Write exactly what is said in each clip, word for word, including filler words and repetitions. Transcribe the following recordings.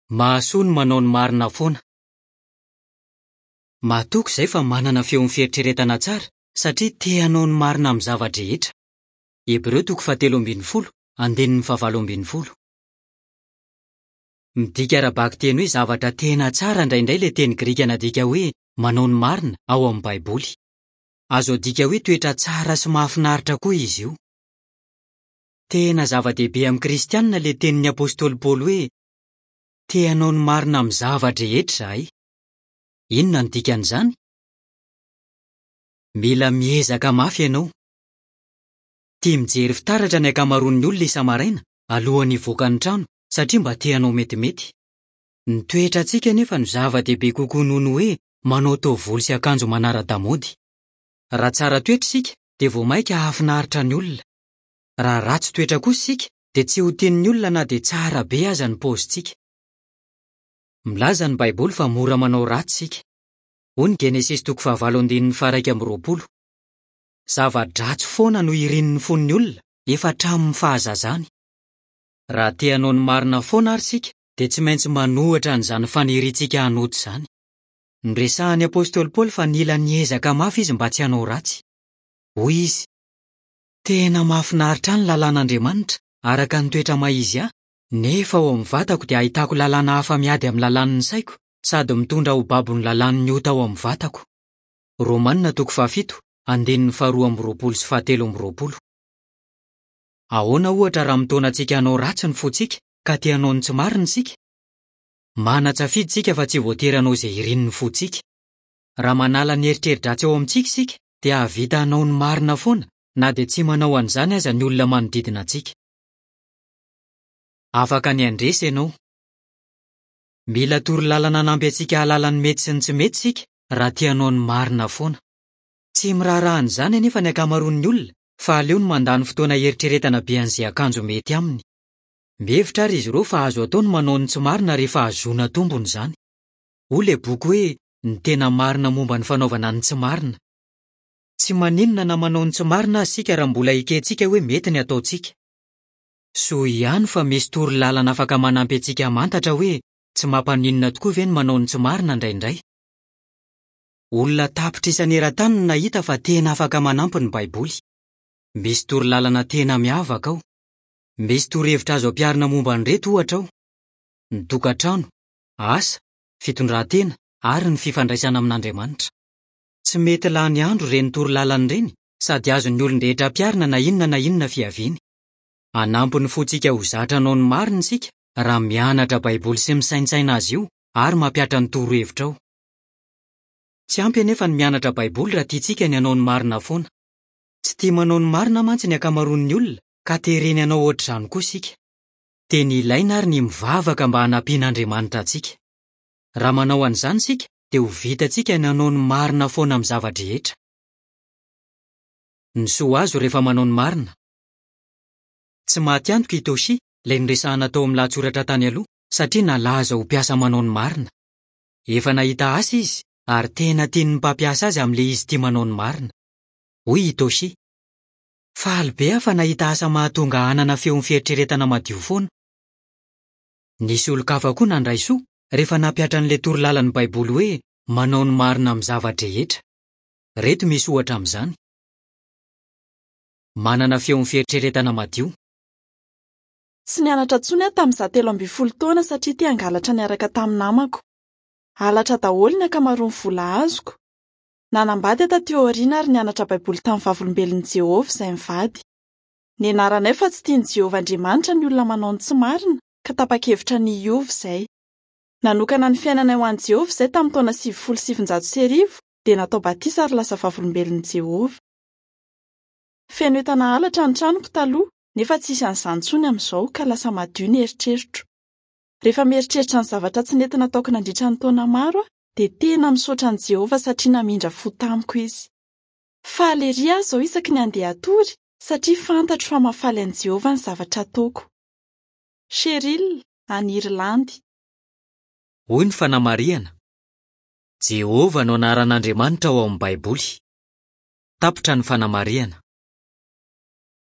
Mahasoa ny manao ny marina foana. Matoky izahay fa manana feon'ny fieritreretana tsara satria te hanao ny marina amin'ny zava-drehetra. Hebreo toko fahatelo ambin'ny folo, andininy fahavalo ambin'ny folo. Midika ara-bakiteny hoe zavatra tena tsara indraindray ilay teny grika nadika hoe manao ny marina ao amin'ny Baiboly. Azo adika hoe toetra tsara sy mahafinaritra koa izy io. Tena zava-dehibe amin'ny Kristianina ilay tenin'ny apostoly Paoly hoe te hanao ny marina amin'ny zava-drehetra izahay. Inona no dikan'izany? Mila miezaka mafy ianao. Tia mijery fitaratra ny ankamaroan'ny olona isa-maraina alohan'ny hivoaka ny trano satria mba te hanao metimety. Ny toetrantsika anefa no zava-dehibe kokoa noho ny hoe manao taovolo sy akanjo manara-damaody. Raha tsara toetra isika dia vao mainka hahafinaritra ny olona. Raha ratsy toetra kosa isika dia tsy ho tian'ny olona na dia tsara be aza ny paozintsika. Milaza ny Baiboly fa mora manao ratsy isika. Hoy ny Genesisy toko fahavalo andininy faha-iraika amby roapolo. Zava-dratsy foana no irin'ny fon'ny olona efa hatramin'ny fahazazany. Raha te hanao ny marina foana àry isika dia tsy maintsy manohitra an'izany faniriantsika hanota izany. Noresahan'ny apostoly Paoly fa nila niezaka mafy izy mba tsy hanao ratsy. Hoy izy: Tena mahafinaritra ahy ny lalàn'Andriamanitra, araka ny toetra maha izy ahy, nefa ao amin'ny vatako dia ahitako lalàna hafa miady amin'ny lalàn'ny saiko sady mitondra ho babon'ny lalàn'ny ota ao amin'ny vatako. Romanina toko fahafito, andininy faharoa amby roapolo sy fahatelo amby roapolo. Ahoana ohatra raha mitaona antsika hanao ratsy ny fontsika ka te hanao ny tsy marina isika? Manan-tsafidy isika fa tsy voatery hanao izay irin'ny fontsika. Raha manala ny eritreri-dratsy ao amintsika isika dia hahavita hanao ny marina foana na dia tsy manao an'izany aza ny olona manodidina antsika. Afaka ny handresy ianao. Mila torolalana hanampy antsika hahalala ny mety sy ny tsy mety isika raha te hanao ny marina foana. Tsy miraharaha an'izany anefa ny ankamaroan'ny olona fa aleony mandany fotoana hieritreretana be an'izay akanjo mety aminy. Mihevitra ary izy ireo fa azo atao ny manao ny tsy marina rehefa ahazoana tombony izany. Hoy ilay boky hoe Ny tena marina momba ny fanaovana ny tsy marina. Tsy maninona na manao ny tsy marina aza isika raha mbola ekentsika hoe mety ny ataontsika. Soa ihany fa misy torolalana afaka manampy antsika hamantatra hoe tsy mampaninona tokoa ve ny manao ny tsy marina indraindray. Olona tapitrisany eran-tany no nahita fa tena afaka manampy ny Baiboly. Misy torolalana tena miavaka ao. Misy torohevitra azo ampiharina momba an'ireto ohatra ao: ny tokantrano, asa, fitondran-tena ary ny fifandraisana amin'Andriamanitra. Tsy mety lany andro ireny torolalana ireny sady azon'ny olon-drehetra ampiharina na inona na inona fiaviany. Hanampy ny fontsika ho zatra hanao ny marina isika raha mianatra Baiboly sy misaintsaina azy io ary mampihatra ny torohevitra ao. Tsy ampy anefa ny mianatra Baiboly raha tiantsika ny hanao ny marina foana. Tsy tia manao ny marina mantsy ny ankamaroan'ny olona ka tereny hanao hoatr'izany koa isika. Tena ilaina àry ny mivavaka mba hanampian'Andriamanitra antsika. Raha manao an'izany isika dia ho vitantsika ny hanao ny marina foana amin'ny zava-drehetra. Ny soa azo rehefa manao ny marina. Tsy maty antoka i Toshi, ilay noresahina tao amin'ny lahatsoratra tany aloha, satria nalaza ho mpiasa manao ny marina. Efa nahita asa izy ary tena tian'ny mpampiasa azy amin'ilay izy tia manao ny marina. Hoy i Toshi: Faly be aho fa nahita asa mahatonga hanana feon'ny fieritreretana madio foana. Nisy olon-kafa koa nandray soa rehefa nampihatra an'ilay torolalan'ny Baiboly hoe manao ny marina amin'ny zava-drehetra. Ireto misy ohatra amin'izany. Manana feon'ny fieritreretana madio. Tsy nianatra intsony aho tamin'izaho telo ambin'ny folo taona satria te hangalatra niaraka tamin'ny namako. Halatra daholo ny ankamaroan'ny vola azoko. Nanambady aho taty aoriana ary nianatra Baiboly tamin'ny Vavolombelon'i Jehovah izahay mivady. Nianaranay fa tsy tian'i Jehovah Andriamanitra ny olona manao ny tsy marina, ka tapa-kevitra ny hiova izahay. Nanokana ny fiainanay ho an'i Jehovah izahay tamin'ny taona sivifolo sy sivinjato sy arivo, dia natao batisa ary lasa Vavolombelon'i Jehovah. Feno entana halatra ny tranoko taloha, nefa tsy hisy an'izany intsony amin'izao, ka lasa madio ny eritreritro. Rehefa mieritreritra ny zavatra tsy nety nataoko nandritra ny taona maro aho, dia tena misaotra an'i Jehovah satria namindra fo tamiko izy. Faly erỳ aho izao isaky ny handeha hatory, satria fantatro fa mahafaly an'i Jehovah ny zavatra ataoko. Cheryl, any Irlandy. Hoy ny fanamarihana, Jehovah no anaran'Andriamanitra ao amin'ny Baiboly. Tapitra ny fanamarihana.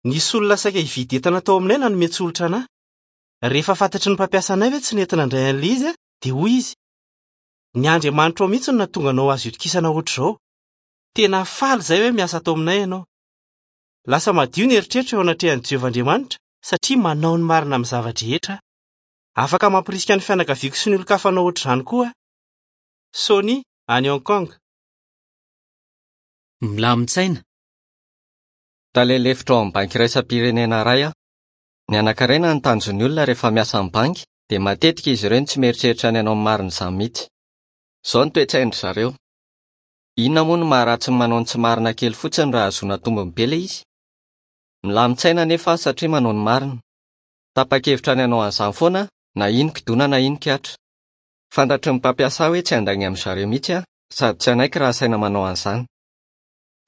Nisy olona saika hividy entana tao aminay nanome tsolotra an'ahy. Rehefa fantatry ny mpampiasa anay hoe tsy nety nandray an'ilay izy dia hoy izy: "Ny Andriamanitrao mihitsy no nahatonga anao azo itokisana ohatr'izao. Tena faly izahay hoe miasa ato aminay ianao." Lasa madio ny eritreritra eo anatrehan'i Jehovah Andriamanitra satria manao ny marina amin'ny zava-drehetra. Afaka mampirisika ny fianakaviako sy ny olon-kafa hanao ohatr'izany koa aho. Sony, any Hong Kong. Milamin-tsaina. Tale lefitra ao amin'ny banky iraisam-pirenena iray aho. Ny anankarena ny tanjon'ny olona rehefa miasa amin'ny banky dia matetika izy ireo no tsy mieritreritra ny hanao ny marina izany mihitsy. Izao ny toe-tsain-dry zareo. Inona moa no maharatsy ny manao ny tsy marina kely fotsiny raha ahazoana tombony be ilay izy? Milamin-tsaina anefa aho satria manao ny marina. Tapa-kevitra ny hanao an'izany foana na ino kidona na ino kihatra. Fantatry ny mpampiasa ahy hoe tsy handainga amin-dry zareo mihitsy aho sady tsy hanaiky raha asaina manao an'izany.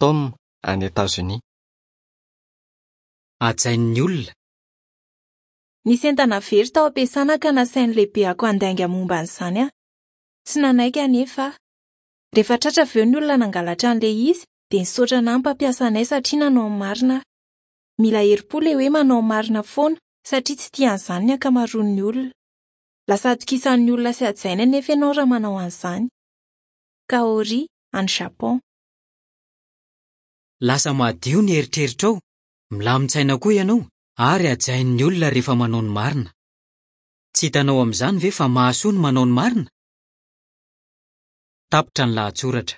Tom, any Etazonia. Hajain'ny olona. Nisy entana very tao am-piasana ka nasain'ny lehibeako handainga momba an'izany aho. Tsy nanaiky anefa aho. Rehefa tratra avy eo ny olona nangalatra an'ilay izy dia nisaotra anahy ny mpampiasa anay satria nanao ny marina aho. Mila herim-po ilay hoe manao ny marina foana satria tsy tia an'izany ny ankamaroan'ny olona. Lasa atokisan'ny olona sy hajainy anefa ianao raha manao an'izany. Kaori, any Japon. Lasa madio ny eritreritrao, milamin-tsaina koa ianao ary hajain'ny olona rehefa manao ny marina. Tsy hitanao amin'izany ve fa mahasoa ny manao ny marina? Tapitra ny lahatsoratra.